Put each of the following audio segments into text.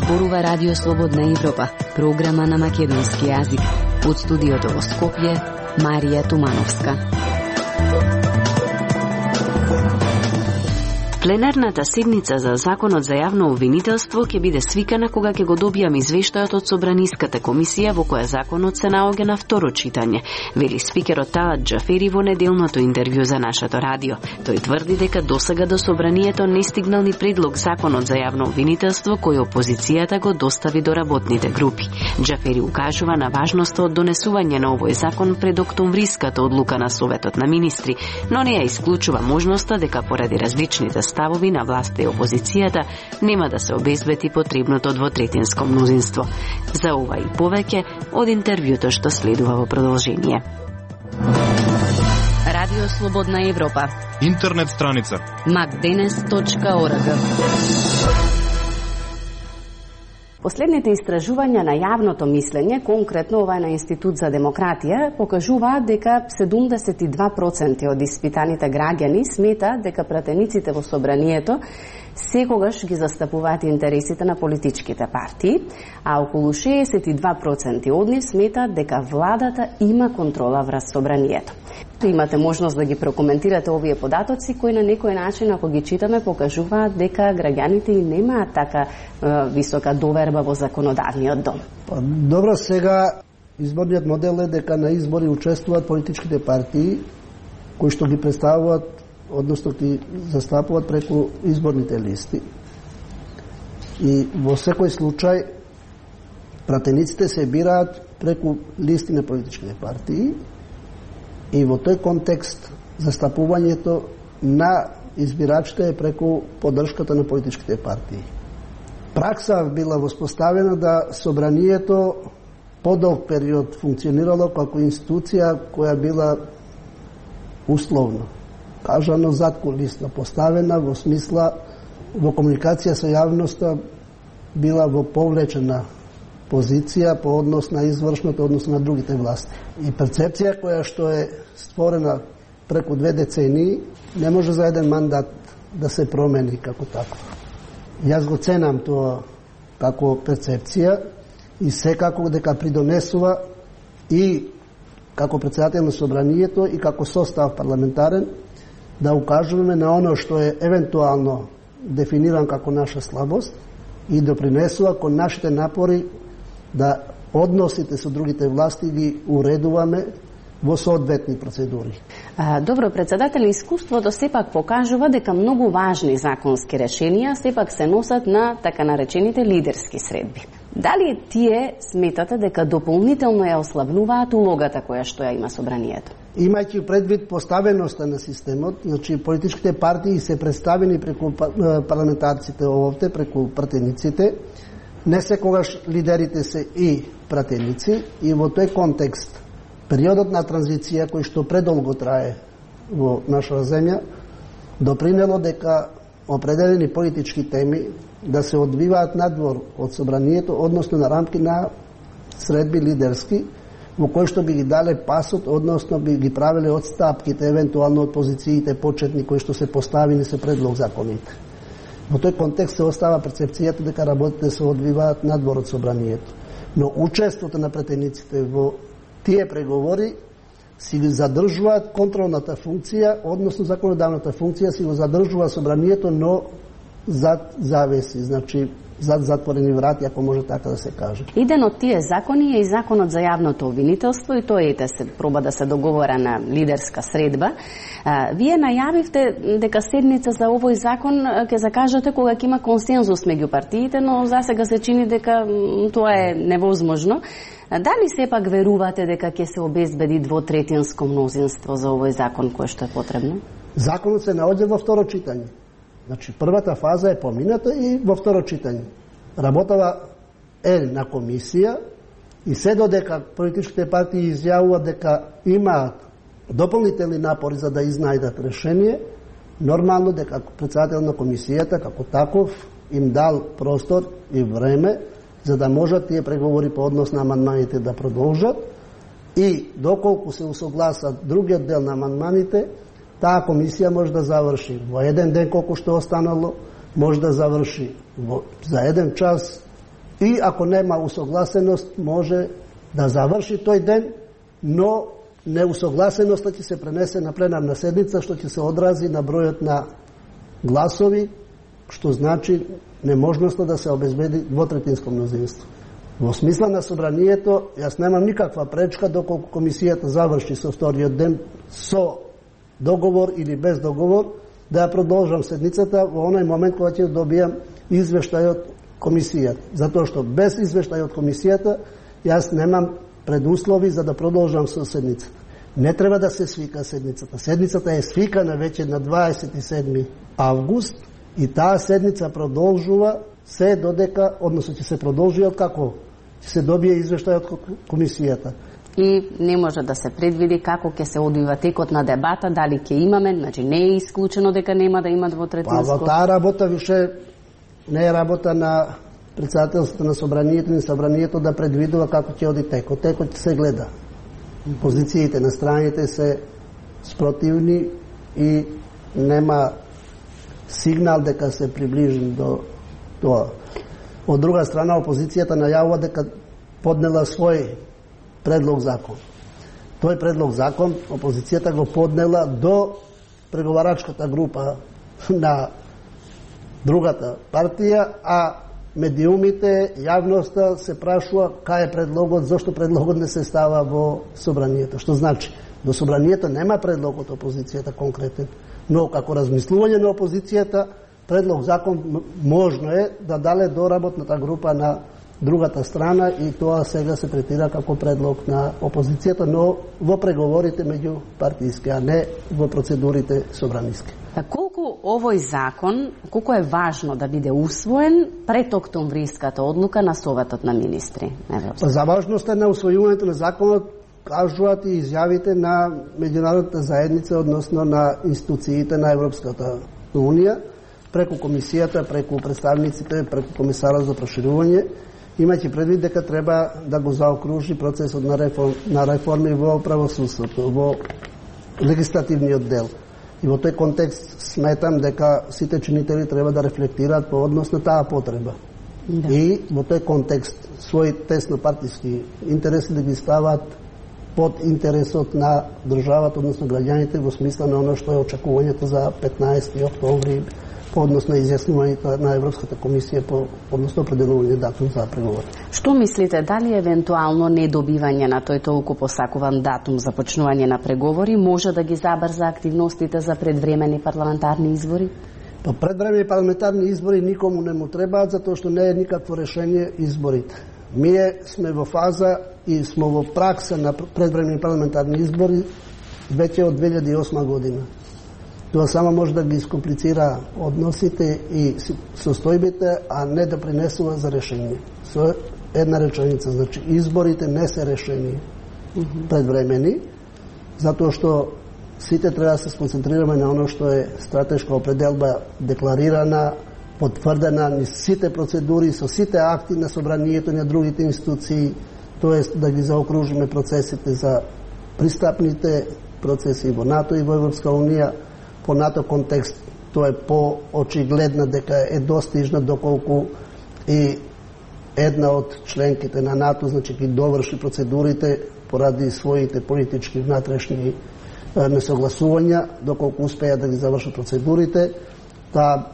зборува Радио Слободна Европа, програма на македонски јазик. Од студиото во Скопје, Марија Тумановска. Пленарната седница за Законот за јавно обвинителство ќе биде свикана кога ќе го добијам извештајот од Собраниската комисија во која законот се наоѓа на второ читање, вели спикерот Талат Џафери во неделното интервју за нашето радио. Тој тврди дека досега до Собранието не стигнал ни предлог Законот за јавно обвинителство кој опозицијата го достави до работните групи. Џафери укажува на важноста од донесување на овој закон пред октомвриската одлука на Советот на министри, но не ја исклучува можноста дека поради различните ставови на власта и опозицијата нема да се обезбеди потребното двотретинско мнозинство. За ова и повеќе од интервјуто што следува во продолжение. Радио Слободна Европа. Интернет страница macdenes.org. Последните истражувања на јавното мислење, конкретно ова е на Институт за демократија, покажуваат дека 72% од испитаните граѓани смета дека пратениците во Собранието секогаш ги застапуваат интересите на политичките партии, а околу 62% од нив сметаат дека владата има контрола врз Собранието. Имате можност да ги прокоментирате овие податоци кои на некој начин, ако ги читаме, покажуваат дека граѓаните и немаат така висока доверба во законодавниот дом. Добро, сега изборниот модел е дека на избори учествуваат политичките партии кои што ги представуваат, односно ги застапуваат преку изборните листи. И во секој случај пратениците се бираат преку листи на политичките партии и во тој контекст застапувањето на избирачите е преку поддршката на политичките партии. Пракса била воспоставена да Собранието подолг период функционирало како институција која била условно кажано задкулисно поставена, во смисла во комуникација со јавноста била во повлечена позиција по однос на извршното, однос на другите власти. И перцепција која што е створена преку 2 децении не може за еден мандат да се промени како такво. Јас го ценам тоа како перцепција и секако дека придонесува и како председател на Собранието и како состав парламентарен да укажуваме на оно што е евентуално дефиниран како наша слабост и допринесува кон нашите напори да односите со другите власти ги уредуваме во соодветни процедури. Добро, председател, искуството сепак покажува дека многу важни законски решенија сепак се носат на така наречените лидерски средби. Дали тие сметате дека дополнително ја ослабнуваат улогата која што ја има Собранието? Имајќи предвид поставеноста на системот, значи политичките партии се представени преку парламентарците овде, преку пратениците, не секогаш лидерите се и пратеници, и во тој контекст периодот на транзиција кој што предолго трае во нашата земја допринело дека определени политички теми да се одвиваат надвор од Собранието, односно на рамки на средби лидерски, во кои што би ги дале пасот, односно би ги правеле одстапките, евентуално од позициите почетни кои што се поставени се предлог законите. Во тој контекст се остава перцепцијата дека работите се одвиваат надвор од Собранието. Но учеството на пратениците во тие преговори си ги задржуваат контролната функција, односно законодавната функција си го задржува Собранието, но зад завеси, значи зад затворени врати, ако може така да се каже. Еден од тие закони е и Законот за јавното обвинителство и тој се проба да се договора на лидерска средба. Вие најавивте дека седница за овој закон ќе закажете кога ќе има консензус меѓу партиите, но засега се чини дека тоа е невозможно. Дали сепак верувате дека ќе се обезбеди двотретинско мнозинство за овој закон кој што е потребно? Законот се наоѓа во второ читање. Значи, првата фаза е помината и во второ читање. Работава е на комисија и се додека политичките партии изјавуваат дека имаат дополнителни напори за да изнајдат решение, нормално дека председател на комисијата како таков им дал простор и време за да можат тие преговори по однос на амандманите да продолжат и доколку се усогласат другиот дел на амандманите, таа комисија може да заврши во еден ден колку што останало, може да заврши за 1 час и ако нема усогласеност може да заврши тој ден, но неусогласеноста ќе се пренесе на пленарна седница, што ќе се одрази на бројот на гласови, што значи неможноста да се обезбеди двотретинско мнозинство. Во смисла на собранието, јас немам никаква пречка доколку комисијата заврши со вториот ден со договор или без договор, да ја продолжам седницата во оној момент кога ќе добијам извештај од комисијата. Затоа што без извештај од комисијата јас немам предуслови за да продолжам со седницата. Не треба да се свика седницата. Седницата е свикана веќе на 27. август и таа седница продолжува се додека, односно ќе се продолжи од како ќе се добие извештај од комисијата. И не може да се предвиди како ќе се одвива текот на дебата, дали ќе имаме, значи не е исклучено дека нема да има двотретинско. Таа работа више не е работа на председателството на собранието, ни собранието да предвидува како ќе оди текот. Текот ќе се гледа. Позициите на страните се спротивни и нема сигнал дека се приближи до тоа. Од друга страна, опозицијата најавува дека поднела свој предлог закон. Тој предлог закон опозицијата го поднела до преговарачката група на другата партија, а медиумите, јавноста се прашува кај е предлогот, зашто предлогот не се става во собранието. Што значи, до собранието нема предлог од опозицијата конкретен, но како размислување на опозицијата, предлог закон можно е да дале до работната група на другата страна и тоа сега се третира како предлог на опозицијата, но во преговорите меѓу партиски, а не во процедурите собраниски. Колку овој закон, колку е важно да биде усвоен пред октомвриската одлука на Советот на министри? За важноста на усвојувањето на законот кажуваат и изјавите на меѓународната заедница, односно на институциите на Европската унија, преку комисијата, преку представниците, преку комисарот за проширување, имајќи предвид дека треба да го заокружи процесот на реформи во правосудството, во легислативниот дел. И во тој контекст сметам дека сите чинители треба да рефлектираат по однос на таа потреба. Да. И во тој контекст своји тесно партиски интереси да ги стават под интересот на државата, односно граѓаните, во смисла на оно што е очекувањето за 15. октомври по однос на изјаснувањето на Европската комисија по односно определување датум за преговори. Што мислите, дали евентуално недобивање на тој толку посакуван датум за почнување на преговори може да ги забрза активностите за предвремени парламентарни избори? Па предвремени парламентарни избори никому не му требаат, затоа што не е никакво решение изборите. Ние сме во фаза и сме во пракса на предвремени парламентарни избори веќе од 2008 година. Тоа само може да ги искомплицира односите и состојбите, а не да принесува за решение. Со една реченица, значи изборите не се решени предвремени, затоа што сите треба да се сконцентрираме на оно што е стратешка определба декларирана, потврдена низ сите процедури, со сите акти на собранието на другите институции, тоест да ги заокружиме процесите за пристапните процеси во НАТО и во Европска унија. По НАТО контекст тоа е по-очигледна дека е достижна доколку и една од членките на НАТО, значи ги доврши процедурите поради своите политички внатрешни несогласувања, доколку успеа да ги завршат процедурите. Таа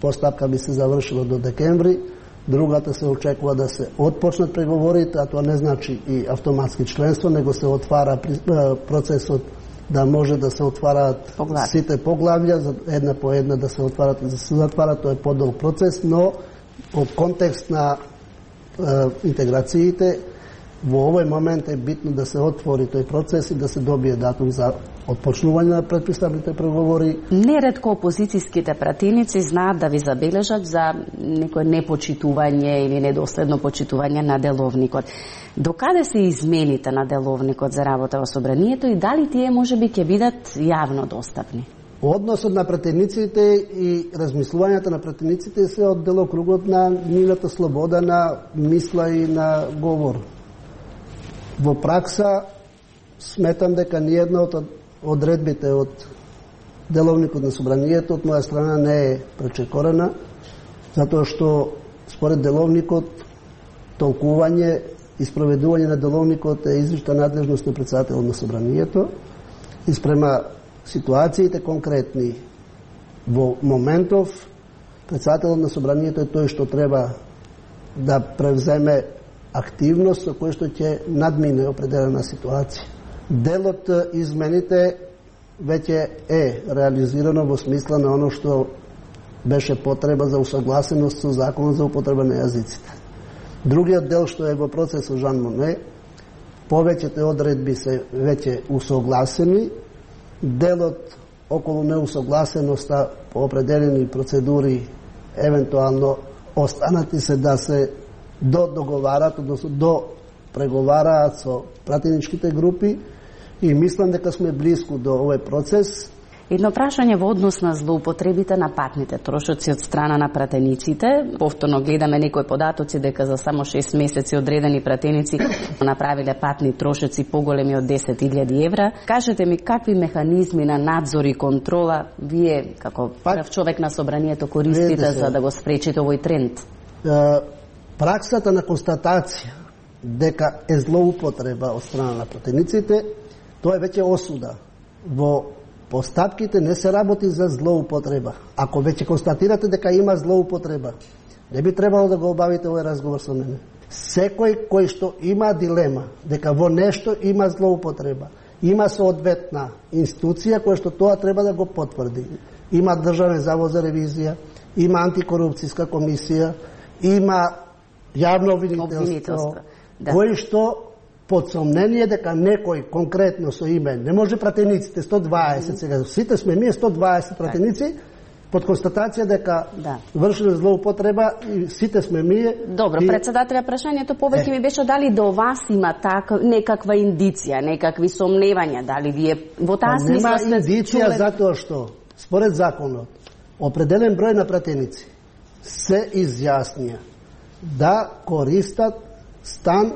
постапка би се завршила до декември, другата се очекува да се отпочнат преговорите, а тоа не значи и автоматски членство, него се отвара процесот да може да се отвараат сите поглавја, за една по една да се отварат и да се затварат, тоа е подолг процес, но од контекст на интеграциите, во овој момент е битно да се отвори тој процес и да се добие датум за отпочнување на предпристапните преговори. Неретко опозицијските пратеници знаат да ви забележат за некој непочитување или недоследно почитување на деловникот. Докаде се измените на деловникот за работа во собранието и дали тие можеби ќе бидат јавно достапни? Односот на пратениците и размислувањата на пратениците се од делокругот на нивната слобода на мисла и на говор. Во пракса сметам дека ниједна од одредбите од деловникот на собранието од моја страна не е пречекорена, затоа што според деловникот толкување и спроведување на деловникот е извична надлежност на председателот на собранието и спрема ситуациите конкретни во моментов председателот на собранието е тој што треба да превземе активност со кој што ќе надмине определена ситуација. Дел од измените веќе е реализирано во смисла на оно што беше потреба за усогласеност со законот за употреба на јазиците. Другиот дел што е во процес со Жан Моне, повеќето одредби се веќе усогласени, делот околу неусогласеноста по определени процедури евентуално останати се да се договарат, односно до преговараат со пратеничките групи и мислам дека сме близко до овој процес. Едно прашање во однос на злоупотребите на патните трошоци од страна на пратениците. Повторно гледаме некои податоци дека за само 6 месеци одредени пратеници направиле патни трошоци поголеми од 10.000 евра. Кажете ми какви механизми на надзор и контрола вие како прв човек на собранието користите за да го спречите овој тренд? Праксата на констатација дека е злоупотреба од страна на пратениците, тоа е веќе осуда. Во постапките не се работи за злоупотреба. Ако веќе констатирате дека има злоупотреба, не би требало да го обавите овој разговор со мене. Секој кој што има дилема дека во нешто има злоупотреба, има соодветна институција која што тоа треба да го потврди. Има Државен завод за ревизија, има антикорупцијска комисија, има јавно обвинителство, кој што под сомнение дека некој конкретно со име, не може пратениците 120 сега, сите сме ние 120 пратеници, под констатација дека вршиле злоупотреба и сите сме ние. Добро, председателя, прашањето повеќе ми беше дали до вас има некаква индиција, некакви сомневања, дали вие во таа смисла сте индиција затоа што според законот определен број на пратеници се изјаснија да користат стан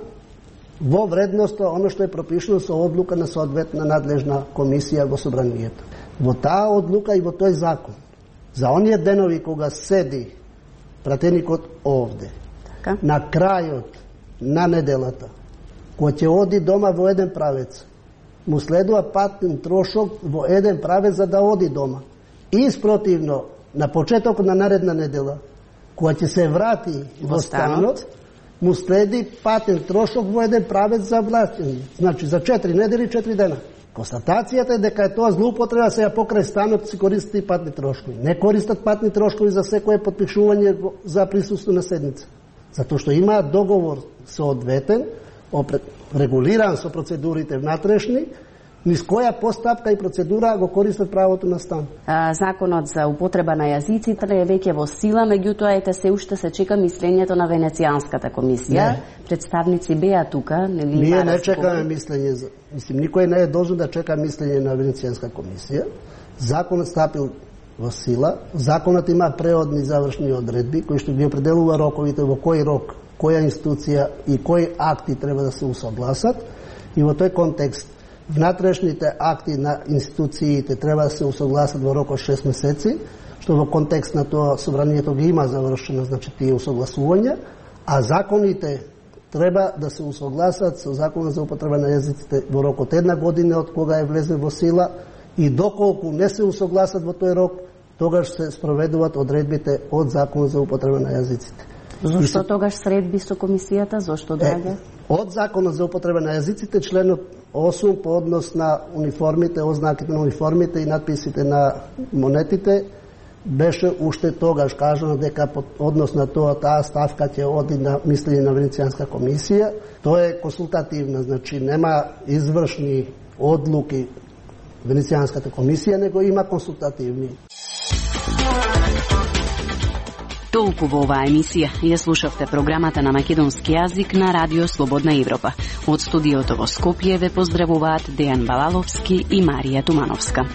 во вредноста оно што е пропишено со одлука на соодветна надлежна комисија во собранието. Во таа одлука и во тој закон, за оние денови кога седи пратеникот овде, на крајот на неделата, кој ќе оди дома во еден правец, му следува патен трошок во еден правец за да оди дома. И спротивно, на почеток на наредна недела, која ќе се врати во станот, му следи патен трошок во еден правец за влаќање. Значи за 4 недели, 4 дена. Констатацијата е дека е тоа злоупотреба, сега покрај станот си користат и патни трошкови. Не користат патни трошкови за секое потпишување за присуство на седница. Затоа што имаат договор соодветен, регулиран со процедурите внатрешни, низ која постапка и процедура го користат правото на стан. Законот за употреба на јазиците е веќе во сила, меѓутоа се уште се чека мислењето на Венецијанската комисија. Не. Представници беа тука, нели? Ние не чекаме мислење, никој не е должен да чека мислење на Венецијанска комисија. Законот стапил во сила, законот има преодни завршни одредби кои што ги определува роковите во кој рок, која институција и кои акти треба да се усогласат, и во тој контекст внатрешните акти на институциите треба да се усогласат во рок од 6 месеци, што во контекст на тоа собранието ги има завршено, значи тие усогласувања, а законите треба да се усогласат со законот за употреба на јазиците во рок од 1 година од кога е влезе во сила, и доколку не се усогласат во тој рок, тогаш се спроведуваат одредбите од законот за употреба на јазиците. Зошто тогаш средби со комисијата? Зошто доаѓа? Од законот за употреба на јазиците, членот 8 по однос на униформите, ознаките на униформите и надписите на монетите, беше уште тогаш кажано дека под однос на тоа таа ставка ќе оди на мислење на Венецијанска комисија. Тоа е консултативна, значи нема извршни одлуки Венецијанската комисија, него има консултативни. Толку во оваа емисија. Ја слушавте програмата на македонски јазик на Радио Слободна Европа. Од студиото во Скопје ве поздравуваат Дејан Балаловски и Марија Тумановска.